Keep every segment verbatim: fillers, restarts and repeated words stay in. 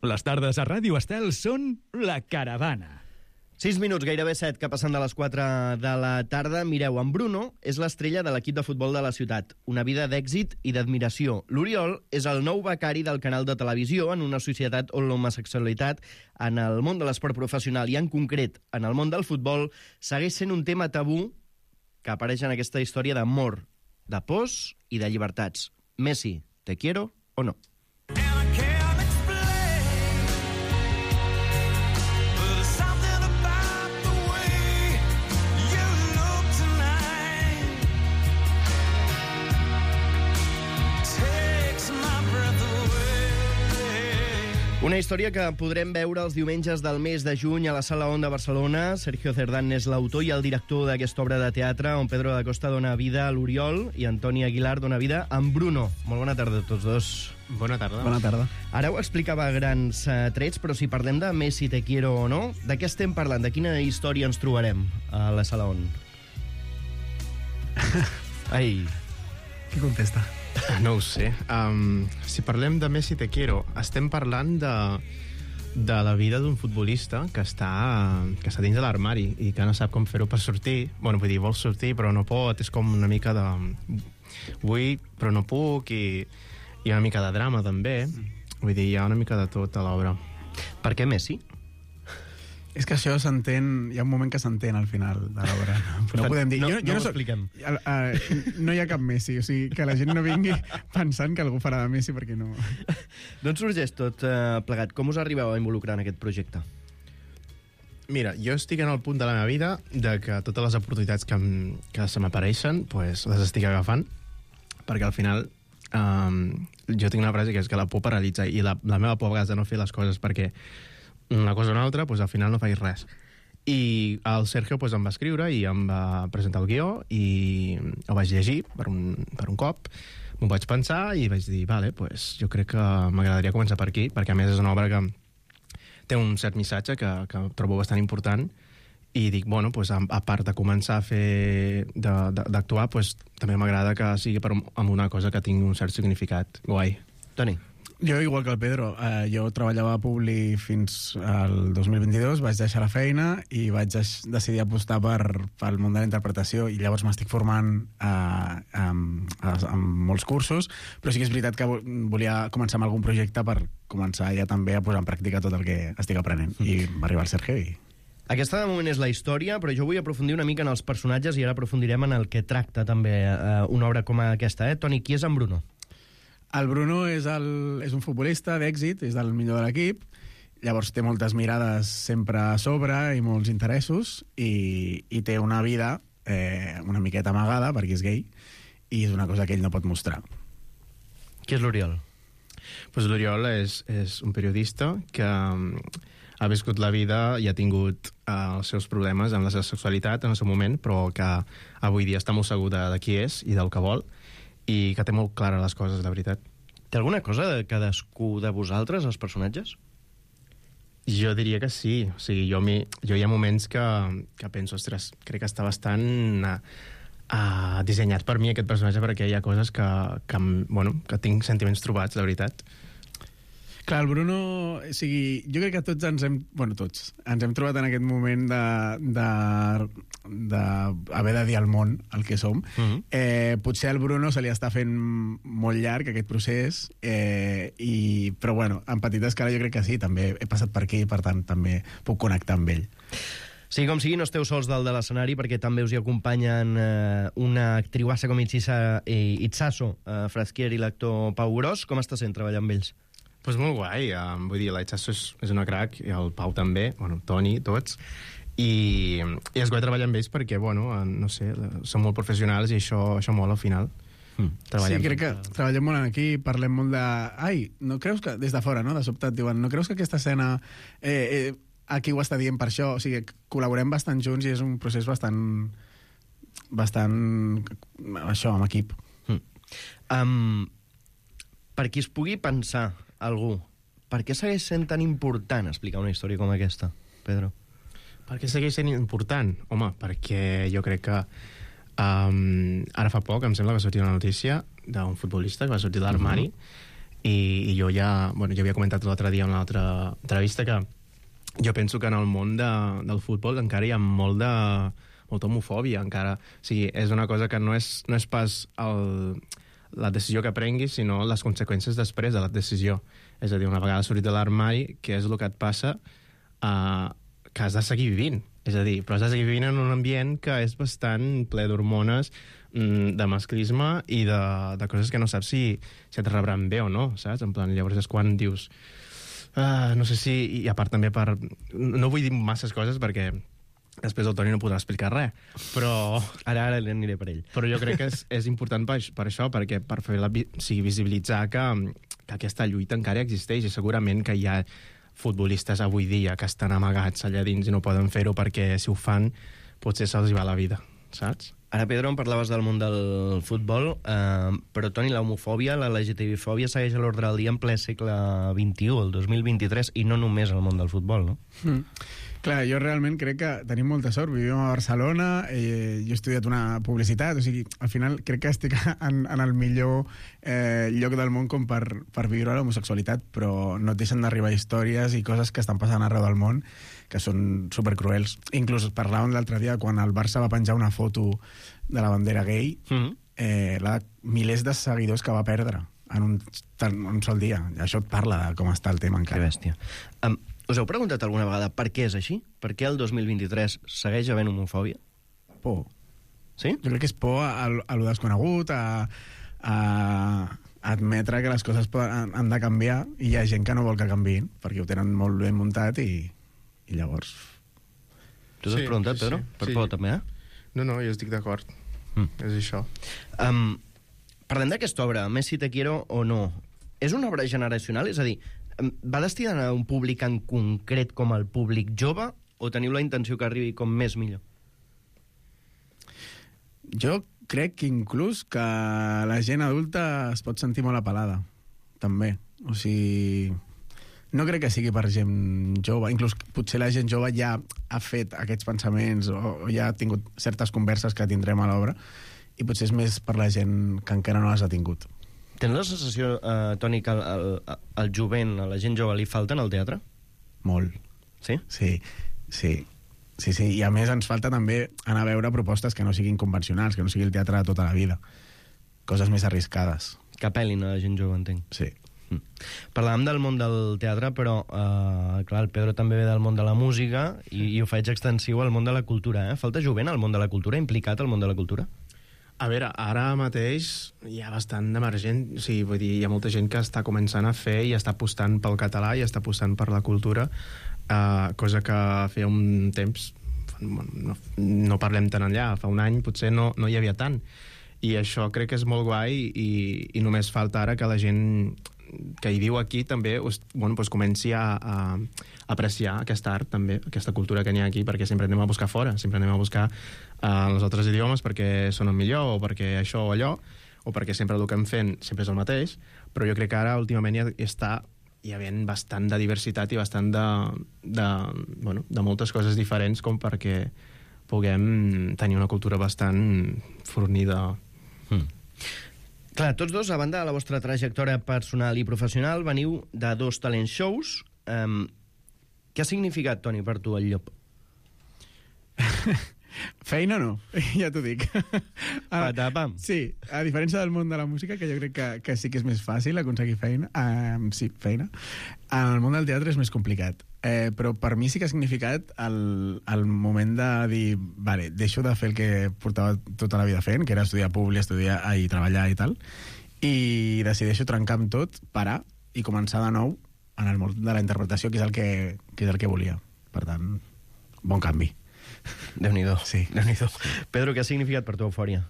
Les tardes a Ràdio Estel són La Caravana. sis minuts, gairebé set, que passen de les quatre de la tarda. Mireu, en Bruno és l'estrella de l'equip de futbol de la ciutat. Una vida d'èxit i d'admiració. L'Oriol és el nou becari del canal de televisió en una societat on l'homosexualitat en el món de l'esport professional i en concret en el món del futbol segueix sent un tema tabú que apareix en aquesta història d'amor, de pors i de llibertats. Messi, te quiero o no? Una història que podrem veure els diumenges del mes de juny a la Sala On de Barcelona. Sergio Cerdán és l'autor i el director d'aquesta obra de teatre on Pedro da Costa dona vida a l'Oriol i Antoni Aguilar dona vida a en Bruno. Molt bona tarda a tots dos. Bona tarda. Bona tarda. Ara ho explicava a grans uh, trets, però si parlem de Messi, te quiero o no, de què estem parlant? De quina història ens trobarem a la Sala On? Ai. Qui contesta? No ho sé. Um, si parlem de Messi te quiero, estem parlant de, de la vida d'un futbolista que està, que està dins de l'armari i que no sap com fer-ho per sortir. Bueno, vull dir, vol sortir però no pot. És com una mica de... Vull, però no puc. I, i una mica de drama, també. Vull dir, hi ha una mica de tot a l'obra. Per què Messi? És que això s'entén... Hi ha un moment que s'entén al final de l'obra. Però no podem dir... No, jo, no, jo no no ho expliquem. Uh, uh, no hi ha cap Messi. O sigui, que la gent no vingui pensant que algú farà de Messi perquè no... D'on sorgeix tot uh, plegat? Com us arribeu a involucrar en aquest projecte? Mira, jo estic en el punt de la meva vida de que totes les oportunitats que, em, que se m'apareixen pues, les estic agafant, perquè al final um, jo tinc una frase que és que la por paralitza, i la, la meva por a vegades de no fer les coses perquè una cosa o una altra, pues, al final no faig res. I el Sergio pues, em va escriure i em va presentar el guió i ho vaig llegir per un, per un cop, m'ho vaig pensar i vaig dir, vale, pues, jo crec que m'agradaria començar per aquí, perquè a més és una obra que té un cert missatge que, que trobo bastant important, i dic, bueno, pues, a, a part de començar a fer d'actuar, pues, també m'agrada que sigui per, amb una cosa que tingui un cert significat guai. Toni? Jo, igual que el Pedro, eh, jo treballava a Publi fins al dos mil vint-i-dos, vaig deixar la feina i vaig decidir apostar per, pel món de la interpretació, i llavors m'estic formant eh, amb, amb molts cursos, però sí que és veritat que volia començar amb algun projecte per començar ja també a posar en pràctica tot el que estic aprenent. Mm. I va arribar el Sergio i... Aquesta de moment és la història, però jo vull aprofundir una mica en els personatges i ara aprofundirem en el que tracta també eh, una obra com aquesta. Eh? Toni, qui és en Bruno? El Bruno és, el, és un futbolista d'èxit, és del millor de l'equip, llavors té moltes mirades sempre a sobre i molts interessos, i, i té una vida eh, una miqueta amagada perquè és gay, i és una cosa que ell no pot mostrar. Qui és l'Oriol? Pues l'Oriol és, és un periodista que ha viscut la vida i ha tingut uh, els seus problemes amb la seva sexualitat en el seu moment, però que avui dia està molt segur de, de qui és i del que vol, i que té molt clares les coses, la veritat. Té alguna cosa de cadascú de vosaltres, els personatges? Jo diria que sí. O sigui, jo, mi, jo hi ha moments que, que penso, ostres, crec que està bastant uh, uh, dissenyat per mi aquest personatge, perquè hi ha coses que, que, bueno, que tinc sentiments trobats, la veritat. Clar, el Bruno, o sigui, jo crec que tots ens hem, bueno, tots, ens hem trobat en aquest moment de, de, de haver de dir al món el que som. Mm-hmm. eh, potser al Bruno se li està fent molt llarg aquest procés, eh, i, però bueno, en petita escala jo crec que sí, també he passat per aquí, per tant també puc connectar amb ell. Sí, com sigui, no esteu sols dalt de l'escenari, perquè també us hi acompanyen eh, una actriuassa com Itzisa, eh, Itzaso eh, Frasquier i l'actor Pau Gros. Com està sent treballar amb ells? Pues molt guai, um, vull dir, la Itzaso és, és una crac, i el Pau també, bueno, Toni, tots, i, i és guai treballar amb ells perquè, bueno, no sé, són molt professionals i això, això mola al final. Mm. Sí, crec que treballem molt aquí, parlem molt de... Ai, no creus que... Des de fora, no?, de sobte et diuen, no creus que aquesta escena... Eh, eh, aquí ho està dient per això? O sigui, col·laborem bastant junts i és un procés bastant... bastant... això, amb equip. Mm. Um, per qui es pugui pensar algú, per què segueix sent tan important explicar una història com aquesta, Pedro? Per què segueix sent important? Home, perquè jo crec que um, ara fa poc, em sembla que va sortir una notícia d'un futbolista que va sortir de l'armari, uh-huh. i, i jo ja, bueno, ja havia comentat l'altre dia en una altra entrevista que jo penso que en el món de, del futbol encara hi ha molt de, molta homofòbia, encara. O sigui, és una cosa que no és, no és pas el, la decisió que prenguis, sinó les conseqüències després de la decisió. És a dir, una vegada sortit de l'armari, què és el que et passa? Uh, que has de seguir vivint. És a dir, però has de seguir vivint en un ambient que és bastant ple d'hormones, de masclisme i de, de coses que no saps si, si et rebran bé o no, saps? En plan, llavors és quan dius... Uh, no sé si... I a part també per... No vull dir masses coses perquè després el Toni no podrà explicar res, però... Ara, ara aniré per ell. Però jo crec que és, és important per, per això, perquè per fer la, o sigui, visibilitzar que, que aquesta lluita encara existeix i segurament que hi ha futbolistes avui dia que estan amagats allà dins i no poden fer-ho perquè si ho fan potser se'ls va la vida, saps? Ara, Pedro, em parlaves del món del futbol, eh, però, Toni, la homofòbia, la L G T B-fòbia segueix a l'ordre del dia en ple segle vint-i-u, el dos mil vint-i-tres, i no només al món del futbol, no? Mm. Clar, jo realment crec que tenim molta sort. Vivim a Barcelona, eh, jo he estudiat una publicitat, o sigui, al final crec que estic en, en el millor eh, lloc del món com per, per viure l'homosexualitat, però no et deixen d'arribar històries i coses que estan passant arreu del món que són supercruels. Inclús parlàvem l'altre dia quan el Barça va penjar una foto de la bandera gay, mm-hmm. eh, la milers de seguidors que va perdre en un, en un sol dia. Això et parla de com està el tema encara. Que bèstia. Um, us heu preguntat alguna vegada per què és així? Per què el dos mil vint-i-tres segueix havent homofòbia? Por. Sí? Jo crec que és por a, a lo desconegut, a, a admetre que les coses poden, han de canviar i hi ha gent que no vol que canviïn perquè ho tenen molt ben muntat i, i llavors... Tu t'has sí, preguntat, sí, Pedro? Sí, per sí. por, també, eh? No, no, jo estic d'acord. Mm. És això. Um, parlem d'aquesta obra, Messi te quiero o no. És una obra generacional? És a dir, va destinada a un públic en concret com el públic jove o teniu la intenció que arribi com més millor? Jo crec que inclús que la gent adulta es pot sentir molt apel·lada, també. O sigui, no crec que sigui per gent jove. Inclús potser la gent jove ja ha fet aquests pensaments o, o ja ha tingut certes converses que tindrem a l'obra i potser és més per la gent que encara no les ha tingut. Tens la sensació, eh, Toni, que al, al jovent, a la gent jove, li falten al teatre? Molt. Sí? Sí, sí. Sí, sí, i a més ens falta també anar a veure propostes que no siguin convencionals, que no sigui el teatre de tota la vida. Coses més arriscades. Que apel·lin a la gent jove, entenc. Sí. Mm. Parlàvem del món del teatre, però, eh, clar, el Pedro també ve del món de la música i, i ho faig extensiu al món de la cultura, eh? Falta jovent al món de la cultura, implicat al món de la cultura? A veure, ara mateix hi ha bastant d'emergent, o sigui, vull dir, hi ha molta gent que està començant a fer i està apostant pel català i està apostant per la cultura, uh, cosa que feia un temps, no, no parlem tan enllà, fa un any potser no, no hi havia tant. I això crec que és molt guai i, i només falta ara que la gent que hi viu aquí també bueno, pues comenci a, a apreciar aquesta art també, aquesta cultura que n'hi ha aquí, perquè sempre anem a buscar fora, sempre anem a buscar uh, els altres idiomes perquè sonen millor o perquè això o allò, o perquè sempre el que hem fent sempre és el mateix, però jo crec que ara últimament hi està hi havent bastant de diversitat i bastant de, de, bueno, de moltes coses diferents com perquè puguem tenir una cultura bastant fornida. Mm. Clar, tots dos, a banda de la vostra trajectòria personal i professional, veniu de dos talent shows. Um, què ha significat, Toni, per tu el llop? Feina no, ja t'ho dic. Patapam. Sí, a diferència del món de la música, que jo crec que, que sí que és més fàcil aconseguir feina, um, sí, feina, en el món del teatre és més complicat. Eh, però per mi sí que ha significat el, el moment de dir, vale, deixo de fer el que portava tota la vida fent, que era estudiar publi, estudiar i treballar i tal, i decideixo trencar amb tot, parar i començar de nou en el món de la interpretació, que és el que, que, és el que volia. Per tant, bon canvi. Déu-n'hi-do. Sí. Déu-n'hi-do. Pedro, què ha significat per tu Eufòria?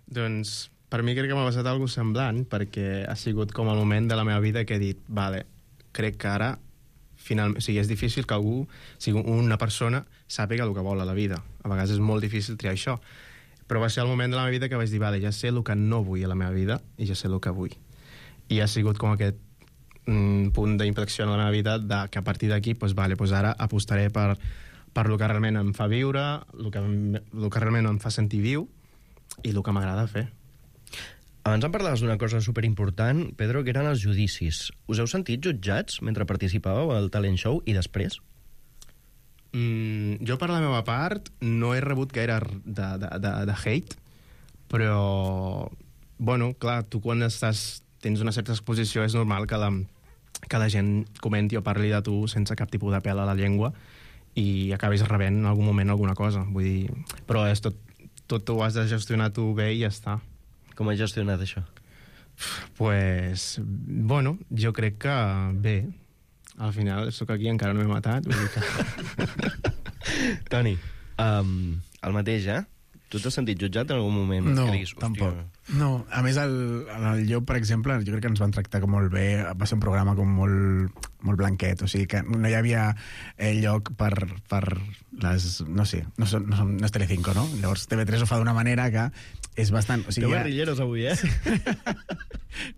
Doncs per mi crec que m'ha passat alguna semblant, perquè ha sigut com el moment de la meva vida que he dit, vale, crec que ara finalment, o sigui, és difícil que algú, o sigui, una persona sàpiga el que vol a la vida. A vegades és molt difícil triar això. Però va ser el moment de la meva vida que vaig dir, vale, ja sé el que no vull a la meva vida i ja sé el que vull. I ha sigut com aquest mm, punt d'inflexió en la meva vida de, que a partir d'aquí, doncs, vale, doncs ara apostaré per, per el que realment em fa viure, el que, el que realment em fa sentir viu i el que m'agrada fer. Abans em parlaves d'una cosa superimportant, Pedro, que eren els judicis. Us heu sentit jutjats mentre participàveu al talent show i després? Mm, jo, per la meva part, no he rebut gaire de, de, de, de hate, però, bueno, clar, tu quan estàs, tens una certa exposició és normal que la, que la gent comenti o parli de tu sense cap tipus de pèl a la llengua i acabis rebent en algun moment alguna cosa. Vull dir, però és tot, tot ho has de gestionar tu bé i ja està. Com has gestionat això? Pues, bueno, jo crec que bé. Al final sóc aquí, encara no m'he matat. Vull dir que... Toni, um, el mateix, eh? Tu t'has sentit jutjat en algun moment? No, que diguis, tampoc. No, a més, el, el Llop, per exemple, jo crec que ens van tractar com molt bé. Va ser un programa com molt, molt blanquet, o sigui que no hi havia eh, lloc per, per les... No sé, no, són, no, són, no és Telecinco, no? Llavors T V tres ho fa d'una manera que és bastant... O sigui, Teu ja... guerrilleros avui, eh?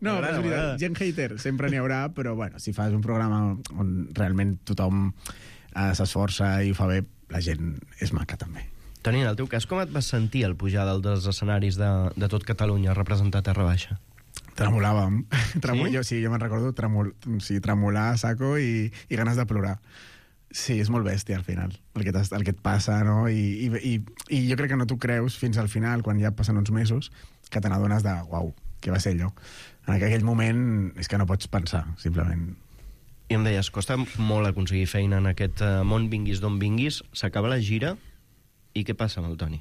No, M'agrada, és veritat, m'agrada. gent hater sempre n'hi haurà, però bueno, si fas un programa on realment tothom eh, s'esforça i ho fa bé, la gent és maca també. Toni, en el teu cas, com et vas sentir al pujar dalt dels escenaris de, de tot Catalunya a representar Terra Baixa? Tremolàvem. Tremol... Sí? Jo, sí, jo me'n recordo tremol... sí, tremolar a saco i, i ganes de plorar. Sí, és molt bèstia al final, el que, el que et passa, no? I, i, i, I jo crec que no t'ho creus fins al final, quan ja passen uns mesos, que te n'adones de, uau, què va ser allò? En aquell moment és que no pots pensar, simplement. I em deies, costa molt aconseguir feina en aquest uh, món, vinguis d'on vinguis, s'acaba la gira, i què passa amb el Toni?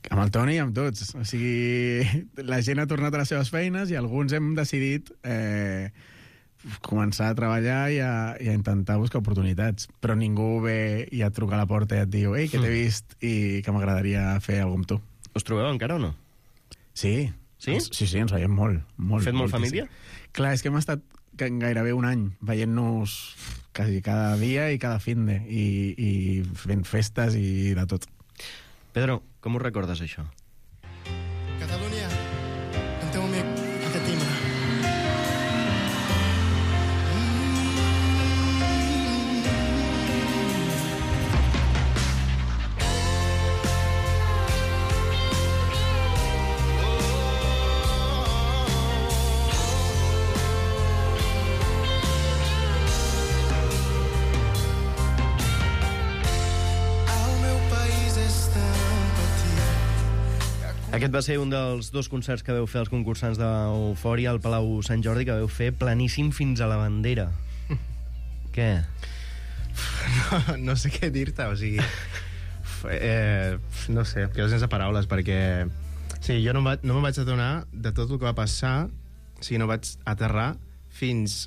Amb el Toni i amb tots. O sigui, la gent ha tornat a les seves feines i alguns hem decidit eh, començar a treballar i a, i a intentar buscar oportunitats. Però ningú ve i et truca a la porta i et diu «Ei, que t'he vist i que m'agradaria fer alguna amb tu». Us trobeu encara o no? Sí. Sí? Ens, sí, sí, ens veiem molt. molt Fet molt moltíssim. família? Clar, és que hem estat gairebé un any veient-nos quasi cada dia i cada finde i, i fent festes i de tot. Pedro, com ho recordes, això? Catalunya, el teu amic, aquest timbre. Aquest va ser un dels dos concerts que veu fer els concursants d'Eufòria al Palau Sant Jordi, que veu fer planíssim fins a la bandera. Què? No, no sé què dir-te, o sigui... Eh, no sé, quedo sense paraules, perquè... Sí, jo no, va, no me'n vaig adonar de tot el que va passar, o sigui, no vaig aterrar fins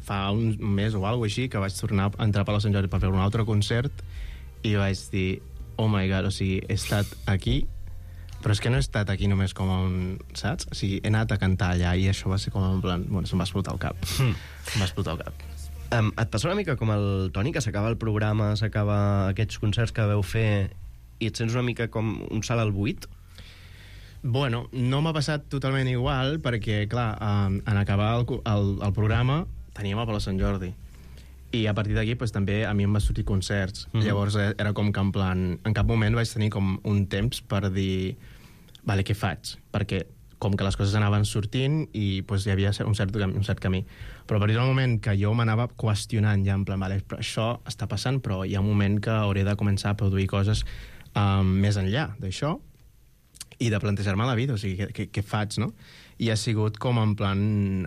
fa un mes o alguna així, que vaig tornar a entrar a Palau Sant Jordi per fer un altre concert, i vaig dir, oh my god, o sigui, he estat aquí, però és que no he estat aquí només com a un... Saps? O sigui, he anat a cantar allà i això va ser com en plan... Bueno, se'm va explotar el cap. Mm. Se'm va explotar el cap. Um, et passa una mica com el Toni, que s'acaba el programa, s'acaba aquests concerts que veu fer i et sents una mica com un salt al buit? Bueno, no m'ha passat totalment igual perquè, clar, um, en acabar el, el, el programa teníem a Palau Sant Jordi. I a partir d'aquí pues, també a mi em va sortir concerts. Mm-hmm. Llavors era com que en plan... En cap moment vaig tenir com un temps per dir vale, què faig? Perquè com que les coses anaven sortint i pues, hi havia un cert, un cert camí. Però a partir del moment que jo m'anava qüestionant ja en plan, vale, però això està passant, però hi ha un moment que hauré de començar a produir coses um, més enllà d'això i de plantejar-me la vida, o sigui, què, què faig, no? I ha sigut com en plan...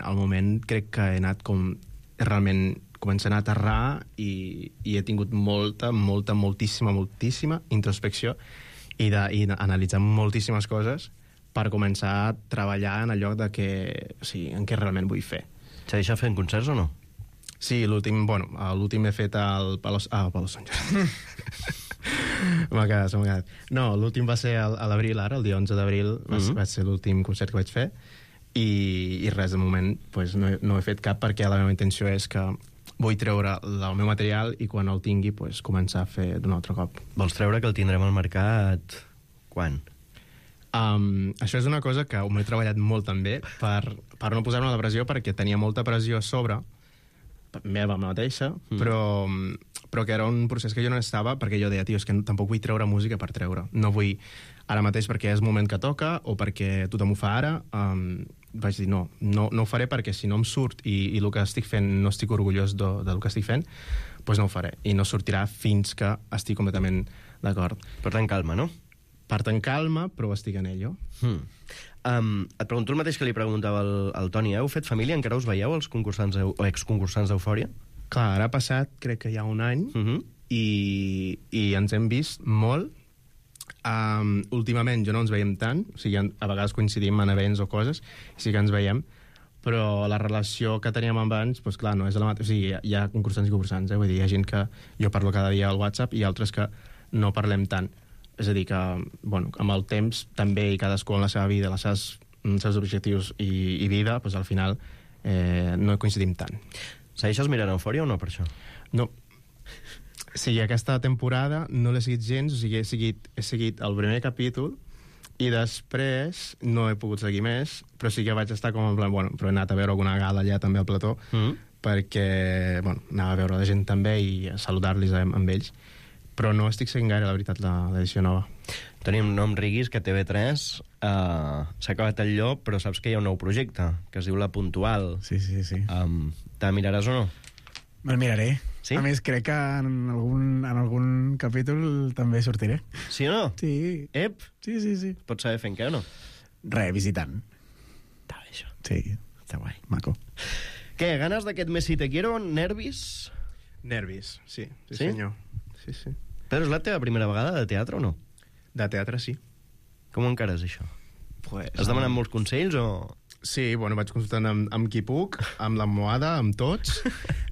Al moment crec que he anat com realment començant a aterrar i, i he tingut molta, molta, moltíssima, moltíssima introspecció i, de, i analitzar moltíssimes coses per començar a treballar en el lloc de que, o sigui, en què realment vull fer. S'ha deixat fent concerts o no? Sí, l'últim, bueno, l'últim he fet al Palau... Ah, al Palau Sant Jordi. m'ha quedat, m'ha quedat. No, l'últim va ser a l'abril, ara, el dia onze d'abril, va, mm-hmm. va ser l'últim concert que vaig fer i, i res, de moment pues, no, he, no he fet cap perquè la meva intenció és que vull treure el meu material i quan el tingui pues, començar a fer d'un altre cop. Vols treure que el tindrem al mercat quan? Um, això és una cosa que m'he treballat molt també per, per no posar-me la pressió perquè tenia molta pressió a sobre meva mateixa, mm. però, però que era un procés que jo no estava, perquè jo deia, tio, és que tampoc vull treure música per treure. No vull ara mateix perquè és el moment que toca o perquè tothom ho fa ara. Um, vaig dir, no, no, no ho faré perquè si no em surt i, i el que estic fent no estic orgullós de, del que estic fent, doncs no ho faré. I no sortirà fins que estic completament d'acord. Per tant, calma, no? Per tant, calma, però estic en ello. Hmm. Um, et pregunto el mateix que li preguntava al, al Toni. Heu fet família? Encara us veieu, els concursants o exconcursants d'Eufòria? Clar, ara ha passat, crec que hi ha un any, Uh -huh. i, i ens hem vist molt. Um, últimament jo no ens veiem tant, o sigui, a vegades coincidim en events o coses, sí que ens veiem, però la relació que teníem abans, doncs clar, no és la mateixa. O sigui, hi ha, hi ha concursants i concursants, eh? Vull dir, hi ha gent que jo parlo cada dia al WhatsApp i altres que no parlem tant. És a dir, que bueno, amb el temps també, i cadascú en la seva vida, les seves, els seus objectius i, i vida, doncs al final eh, no coincidim tant. Segueixes mirant Eufòria o no, per això? No. O sigui, aquesta temporada no l'he seguit gens, o sigui, he seguit, he seguit el primer capítol i després no he pogut seguir més, però sí que vaig estar com en plan, bueno, però he anat a veure alguna gala allà també al plató, Mm -hmm. perquè, bueno, anava a veure la gent també i a saludar-los amb, amb ells, però no estic seguint gaire, la veritat, l'edició nova. Tenim nom riguis que T V tres uh, s'ha acabat el llop, però saps que hi ha un nou projecte, que es diu La Puntual. Sí, sí, sí. Um, te miraràs o no? Me'l miraré. Sí? A més, crec que en algun, en algun capítol també sortiré. Sí o no? Sí. Ep, Sí, sí, sí. pots saber fent què o no? Re, visitant. Està bé, això. Sí, Està guai. maco. Què, ganes d'aquest Messi te quiero? Nervis? Nervis, sí, sí, Sí? senyor. Sí, sí. Pedro, és la teva primera vegada de teatre o no? De teatre, sí. Com ho encares, això? Pues, Has demanat molts consells o...? Sí, bueno, vaig consultant amb, amb qui puc, amb l'almohada, amb tots,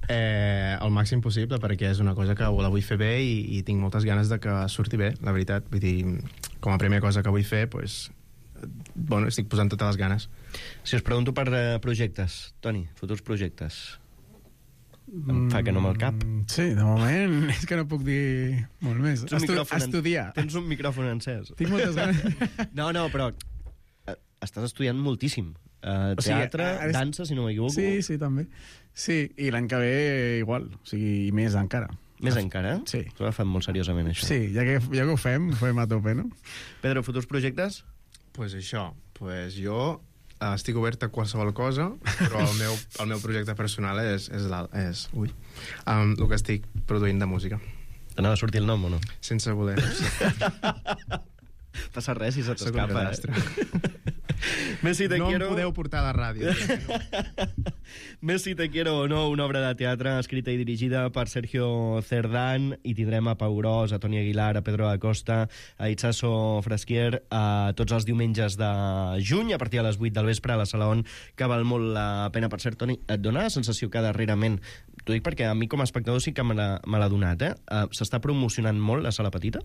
eh, el màxim possible, perquè és una cosa que la vull fer bé i, i tinc moltes ganes de que surti bé, la veritat. Vull dir, com a primera cosa que vull fer, pues, bueno, estic posant totes les ganes. Si us pregunto per uh, projectes, Toni, futurs projectes, em fa que no me'l cap. Mm, Sí, de moment és que no puc dir molt més. Tens un Estu micròfon en- estudiar. Tens un micròfon encès. Tinc moltes ganes. No, no, però eh, estàs estudiant moltíssim. Uh, O sigui, teatre, ara és- dansa, si no m'equivoco. Sí, sí, també. Sí, i l'any que ve igual, o sigui, i més encara. Més encara? Sí. S'ho agafat molt seriosament, això. Sí, ja que, ja que ho fem, ho fem a tope, no? Pedro, futurs projectes? Pues això, pues jo eh, estic obert a qualsevol cosa, però el meu, el meu projecte personal és, és, la, és ui, um, el que estic produint de música. T'anava a sortir el nom o no? Sense voler. Passa res si se Soc un t'escapa, desastre. eh? Messi te No quiero... em podeu portar a la ràdio. Messi te quiero o no, una obra de teatre escrita i dirigida per Sergio Cerdán, i tindrem a Pau Gros, a Toni Aguilar, a Pedro Acosta, a Itxaso Fresquier, a tots els diumenges de juny, a partir de les vuit del vespre, a la Sala On, que val molt la pena. Per cert, Toni, et dona la sensació que darrerament, t'ho dic perquè a mi com a espectador sí que me l'ha me l'ha donat, eh? Uh, s'està promocionant molt la Sala Petita?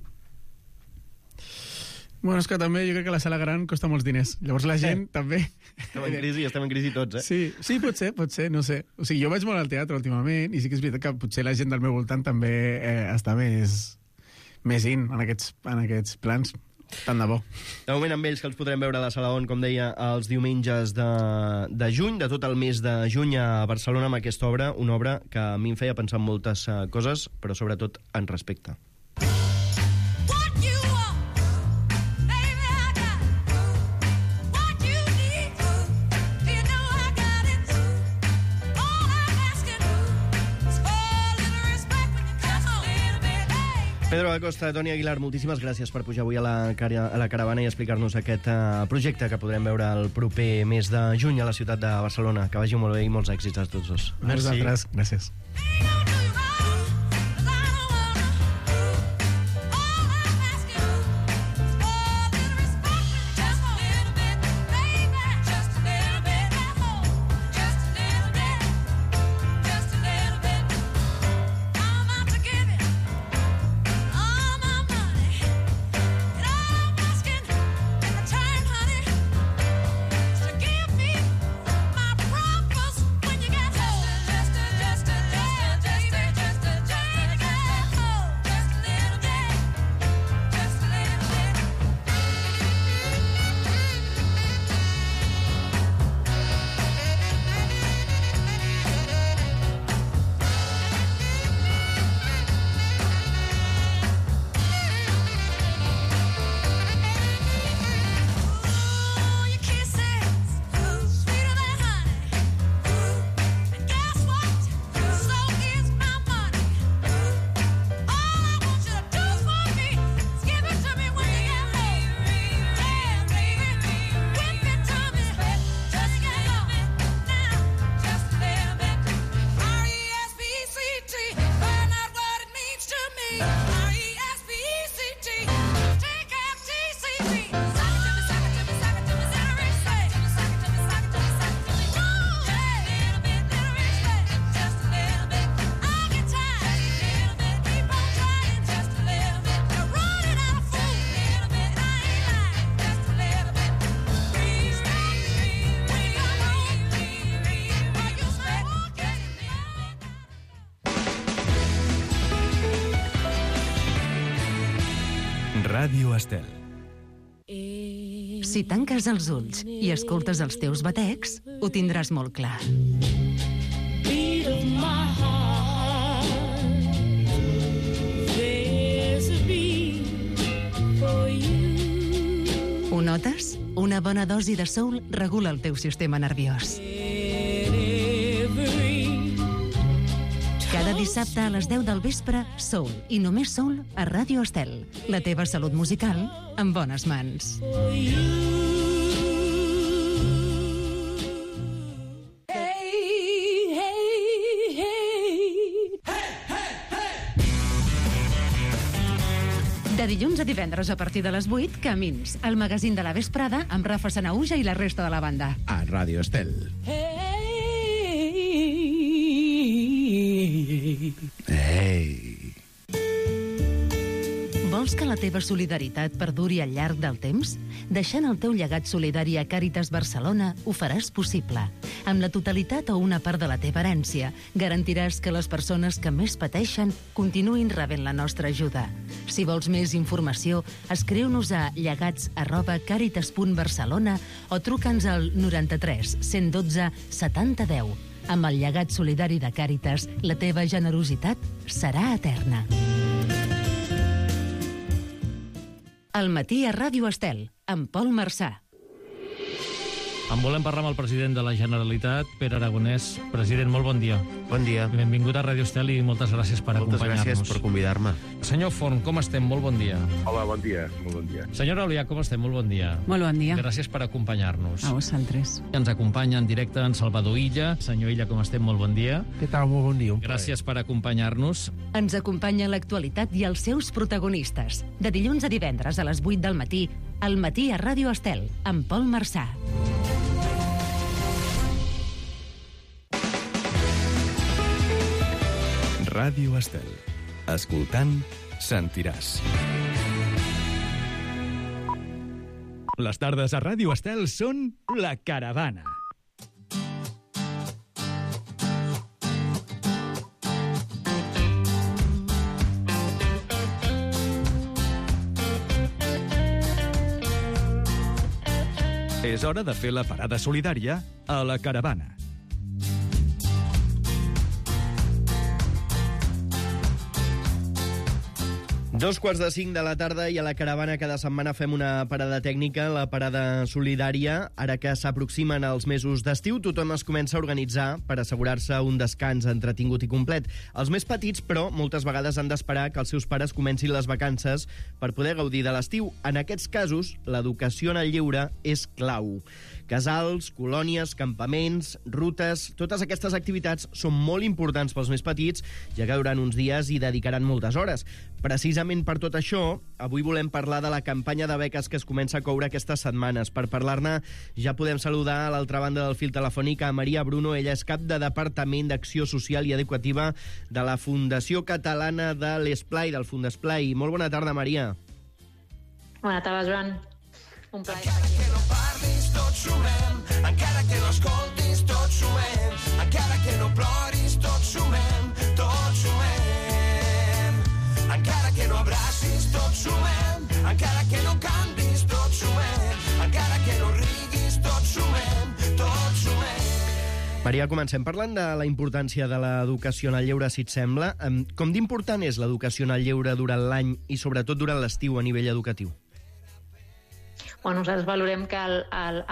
Bueno, és que també jo crec que la sala gran costa molts diners. Llavors la gent Eh. també... Estem en crisi, estem en crisi tots, eh? Sí, sí, pot ser, pot ser, no sé. O sigui, jo vaig molt al teatre últimament i sí que és veritat que potser la gent del meu voltant també eh, està més, més in en aquests, en aquests plans. Tant de bo. De moment amb ells, que els podrem veure a la Sala On, com deia, els diumenges de, de juny, de tot el mes de juny a Barcelona, amb aquesta obra, una obra que a mi em feia pensar en moltes uh, coses, però sobretot en respecte. Pedro Acosta, Toni Aguilar, moltíssimes gràcies per pujar avui a la, cara, a la caravana i explicar-nos aquest uh, projecte que podrem veure el proper mes de juny a la ciutat de Barcelona. Que vagi molt bé i molts èxits a tots dos. A vosaltres, gràcies. Just a little bit. Ràdio Estel. Si tanques els ulls i escoltes els teus batecs, ho tindràs molt clar. Ho notes? Una bona dosi de soul regula el teu sistema nerviós. Cada dissabte a les deu del vespre, soul i només soul a Ràdio Estel. La teva salut musical en bones mans. De dilluns a divendres a partir de les vuit, Camins, el magazín de la vesprada amb Rafa Sanahuja i la resta de la banda. A Ràdio Estel. Ei! Vols que la teva solidaritat perduri al llarg del temps? Deixant el teu llegat solidari a Càritas Barcelona ho faràs possible. Amb la totalitat o una part de la teva herència, garantiràs que les persones que més pateixen continuïn rebent la nostra ajuda. Si vols més informació, escriu-nos a llegats arroba càritas punt barcelona o truca'ns al noranta-tres cent dotze setanta deu. Amb el llegat solidari de Càritas, la teva generositat serà eterna. Al matí a Ràdio Estel, amb Pol Marçà. En volem parlar amb el president de la Generalitat, Pere Aragonès. President, molt bon dia. Bon dia. Benvingut a Ràdio Estel i moltes gràcies per Moltes acompanyar-nos. gràcies per convidar-me. Senyor Forn, com estem? Molt bon dia. Hola, bon dia. Molt bon dia. Senyora Olià, com estem? Molt bon dia. Molt bon dia. Gràcies per acompanyar-nos. A vosaltres. Ens acompanya en directe en Salvador Illa. Senyor Illa, com estem? Molt bon dia. Què tal? Molt bon dia. Un Gràcies per acompanyar-nos. Ens acompanya l'actualitat i els seus protagonistes. De dilluns a divendres a les vuit del matí, al matí a Ràdio Estel, amb Pol Marçà. Ràdio Estel. Escoltant, sentiràs. Les tardes a Ràdio Estel són La Caravana. És hora de fer la parada solidària a La Caravana. Dos quarts de cinc de la tarda i a La Caravana cada setmana fem una parada tècnica, la parada solidària. Ara que s'aproximen els mesos d'estiu, tothom es comença a organitzar per assegurar-se un descans entretingut i complet. Els més petits, però, moltes vegades han d'esperar que els seus pares comencin les vacances per poder gaudir de l'estiu. En aquests casos, l'educació en el lleure és clau. Casals, colònies, campaments, rutes... Totes aquestes activitats són molt importants pels més petits, ja que durant uns dies hi dedicaran moltes hores. Precisament per tot això, avui volem parlar de la campanya de beques que es comença a coure aquestes setmanes. Per parlar-ne, ja podem saludar a l'altra banda del fil telefònic a Maria Bruno. Ella és cap de Departament d'Acció Social i Educativa de la Fundació Catalana de l'Esplai, del Fundesplai. Molt bona tarda, Maria. Bona tarda, Joan. Un plaer. Encara que no parlis, tots sumem. Encara que no escoltis, tots sumem. Encara que no ploris, tots sumem. Tots sumem. Encara que no abracis, tots sumem. Encara que no cantis, tots sumem. Encara que no riguis, tots sumem. Tots sumem. Maria, comencem parlant de la importància de l'educació en el lleure, si et sembla. Com d'important és l'educació en el lleure durant l'any i sobretot durant l'estiu a nivell educatiu? Bueno, nosaltres valorem que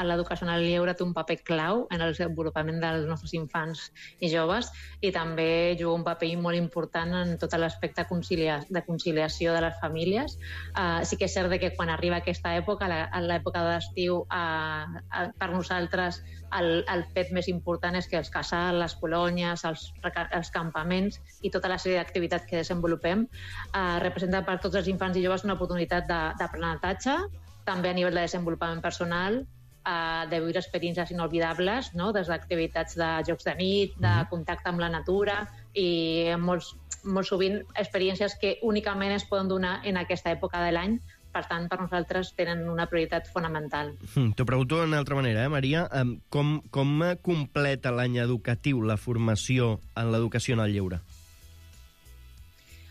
l'educació en el lleure té un paper clau en el desenvolupament dels nostres infants i joves i també juga un paper molt important en tot l'aspecte de conciliació de les famílies. Uh, sí que és cert que quan arriba aquesta època, l'època d'estiu, uh, uh, per nosaltres el, el fet més important és que els casals, les colònies, els, els campaments i tota la sèrie d'activitats que desenvolupem uh, representen per tots els infants i joves una oportunitat d'aprenentatge, també a nivell de desenvolupament personal, eh, de viure experiències inolvidables, no? Des d'activitats de jocs de nit, de contacte amb la natura i molts, molt sovint experiències que únicament es poden donar en aquesta època de l'any. Per tant, per nosaltres tenen una prioritat fonamental. Mm, T'ho pregunto d'una altra manera, eh, Maria. Com, com completa l'any educatiu la formació en l'educació en el lleure?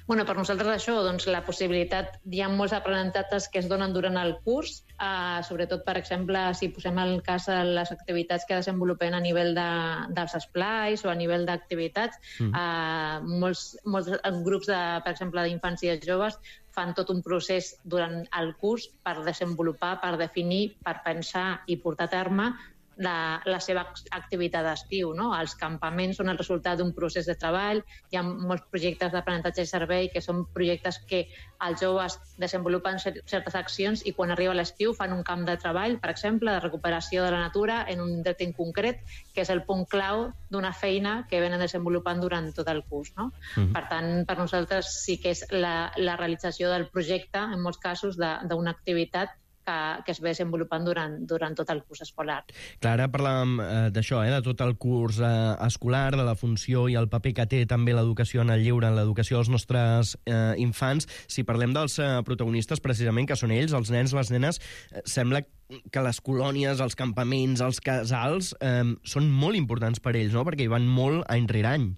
Bueno, per nosaltres això, doncs, la possibilitat, hi ha molts aprenentatges que es donen durant el curs, eh, sobretot, per exemple, si posem el cas de les activitats que desenvolupem a nivell de, dels esplais o a nivell d'activitats, mm. eh, molts, molts grups, de, per exemple, d'infants i de joves fan tot un procés durant el curs per desenvolupar, per definir, per pensar i portar a terme la, la seva activitat d'estiu. No? Els campaments són el resultat d'un procés de treball, hi ha molts projectes d'aprenentatge i servei que són projectes que els joves desenvolupen certes accions i quan arriba l'estiu fan un camp de treball, per exemple, de recuperació de la natura en un indret en concret, que és el punt clau d'una feina que venen desenvolupant durant tot el curs. No? Mm-hmm. Per tant, per nosaltres sí que és la, la realització del projecte, en molts casos, d'una activitat que, que es ve desenvolupant durant, durant tot el curs escolar. Clar, ara parlàvem eh, d'això, eh, de tot el curs eh, escolar, de la funció i el paper que té també l'educació en el lleure, en l'educació dels nostres eh, infants. Si parlem dels eh, protagonistes, precisament, que són ells, els nens, les nenes, eh, sembla que les colònies, els campaments, els casals, eh, són molt importants per ells, no? Perquè hi van molt any rere any.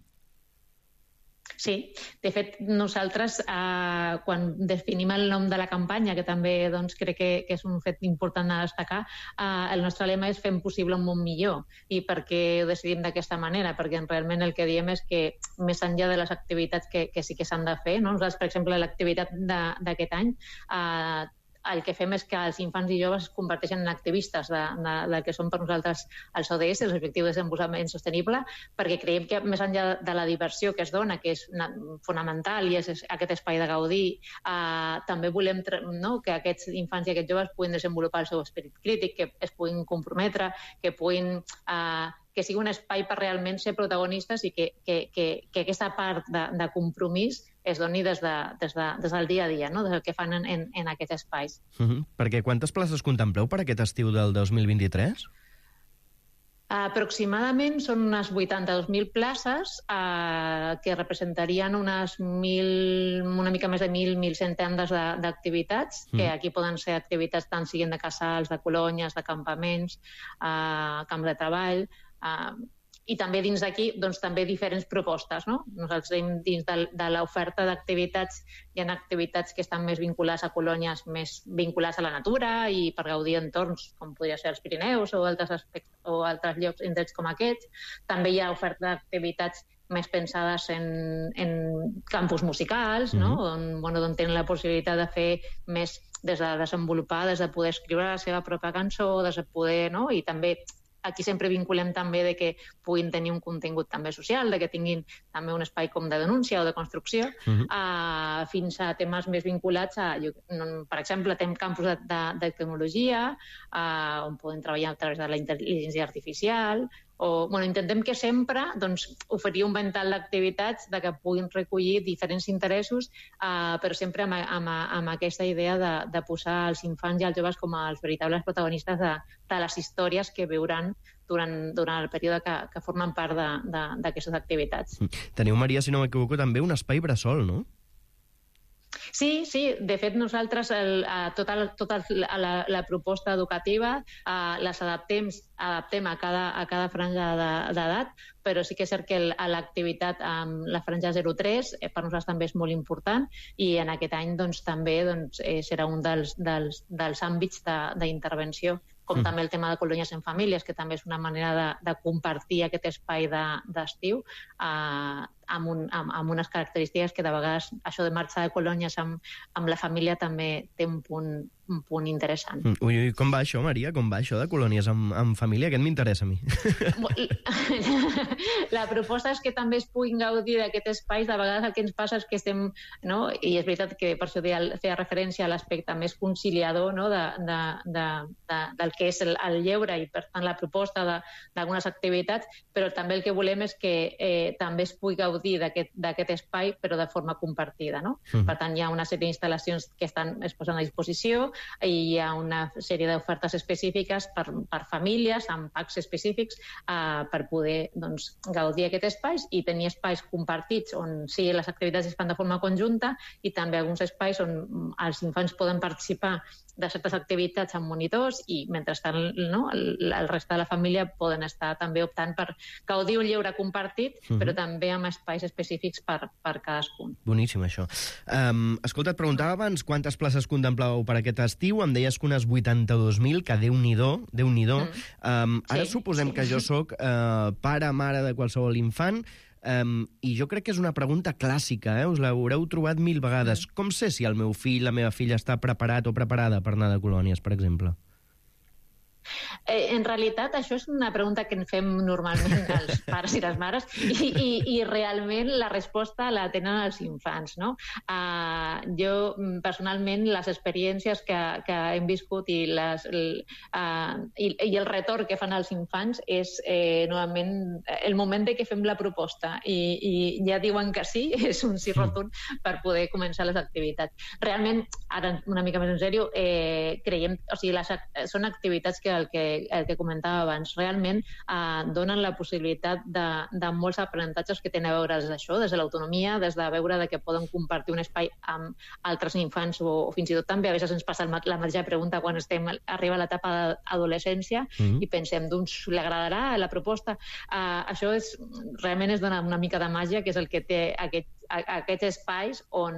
Sí, de fet, nosaltres, eh, quan definim el nom de la campanya, que també doncs, crec que, que és un fet important a destacar, eh, el nostre lema és Fem possible un món millor. I per què ho decidim d'aquesta manera? Perquè realment el que diem és que, més enllà de les activitats que, que sí que s'han de fer, no? Nosaltres, per exemple, l'activitat d'aquest any, eh, el que fem és que els infants i joves es converteixen en activistes de, de, de que són per nosaltres els O D S, els Objectius de Desenvolupament Sostenible, perquè creiem que més enllà de la diversió que es dona, que és fonamental i és aquest espai de gaudir, eh, també volem no, que aquests infants i aquests joves puguin desenvolupar el seu esperit crític, que es puguin comprometre, que puguin... Eh, que sigui un espai per realment ser protagonistes i que, que, que, que aquesta part de, de compromís es doni des, de, des, de, des del dia a dia, no? Des del que fan en, en, en aquests espais. Uh-huh. Perquè quantes places contempleu per aquest estiu del dos mil vint-i-tres? Aproximadament són unes vuitanta-dos mil places eh, que representarien unes mil, una mica més de mil, mil cent tendes d'activitats, mm. que aquí poden ser activitats tant siguin de casals, de colònies, de campaments, eh, camps de treball, eh, i també dins d'aquí doncs, també diferents propostes. No? Nosaltres tenim dins de, de l'oferta d'activitats, hi ha activitats que estan més vinculades a colònies més vinculades a la natura i per gaudir entorns com podria ser els Pirineus o altres, aspectes, o altres llocs indrets com aquests. També hi ha oferta d'activitats més pensades en, en campus musicals, mm-hmm. no? on, bueno, on tenen la possibilitat de fer més des de desenvolupar, des de poder escriure la seva pròpia cançó, des de poder... No? I també aquí sempre vinculem també de que puguin tenir un contingut també social, de que tinguin també un espai com de denúncia o de construcció, uh-huh. uh, fins a temes més vinculats a... Per exemple, tenim campus de, de, de tecnologia, uh, on podem treballar a través de la intel·ligència artificial, o, bueno, intentem que sempre doncs, oferir un ventall d'activitats de que puguin recollir diferents interessos, eh, però sempre amb, amb, amb aquesta idea de, de posar els infants i els joves com els veritables protagonistes de, de les històries que viuran durant, durant el període que, que formen part d'aquestes activitats. Teniu, Maria, si no m'equivoco, també un espai bressol, no? Sí, sí, de fet nosaltres el, a tota, tota la, la proposta educativa eh, les adaptem, adaptem a cada, a cada franja d'edat, però sí que és cert que l'activitat amb la franja zero tres eh, per nosaltres també és molt important i en aquest any doncs, també doncs, eh, serà un dels, dels, dels àmbits d'intervenció, com mm. també el tema de colònies en famílies, que també és una manera de, de compartir aquest espai d'estiu de, eh, amb, un, amb, amb unes característiques que de vegades això de marxar de colònies amb, amb la família també té un punt, un punt interessant. Ui, ui, com va això, Maria? Com va això de colònies amb, amb família? Aquest m'interessa a mi. La proposta és que també es puguin gaudir d'aquest espai. De vegades el que ens passa és que estem... No? I és veritat que per això feia referència a l'aspecte més conciliador, no? de, de, de, de, del que és el, el lleure i, per tant, la proposta d'algunes activitats, però també el que volem és que eh, també es pugui gaudir d'aquest espai, però de forma compartida. No? Mm. Per tant, hi ha una sèrie d'instal·lacions que estan, es posen a disposició i hi ha una sèrie d'ofertes específiques per, per famílies, amb packs específics, eh, per poder doncs, gaudir d'aquest espai i tenir espais compartits on sí, les activitats es fan de forma conjunta i també alguns espais on els infants poden participar de certes activitats amb monitors i mentrestant no, el, el resta de la família poden estar també optant per gaudir un lleure compartit, uh-huh. però també amb, espais específics per, per cadascun. Boníssim, això. Um, escolta, et preguntava abans quantes places contemplàveu per aquest estiu. Em deies que unes vuitanta-dos mil, que Déu-n'hi-do, Déu-n'hi-do. Mm. Um, ara sí, suposem sí. que jo sóc uh, pare, mare de qualsevol infant, um, i jo crec que és una pregunta clàssica, eh? Us l'haureu trobat mil vegades. Mm. Com sé si el meu fill, la meva filla, està preparat o preparada per anar de colònies, per exemple? Eh, en realitat, això és una pregunta que en fem normalment els pares i les mares i, i, i realment la resposta la tenen els infants, no? Uh, jo, personalment, les experiències que, que hem viscut i, les, el, uh, i, i el retorn que fan els infants és eh, normalment el moment de que fem la proposta i, i ja diuen que sí, és un sí rotund per poder començar les activitats. Realment, ara una mica més en sèrio, eh, creiem, o sigui, les, són activitats que el que, el que comentava abans, realment eh, donen la possibilitat de, de molts aprenentatges que tenen a veure des d'això, des de l'autonomia, des de veure de que poden compartir un espai amb altres infants o, o fins i tot també, a vegades ens passa la mateixa pregunta quan estem arriba a l'etapa d'adolescència mm-hmm. i pensem, doncs, li agradarà la proposta? Eh, això és, realment es dona una mica de màgia, que és el que té aquest aquests espais on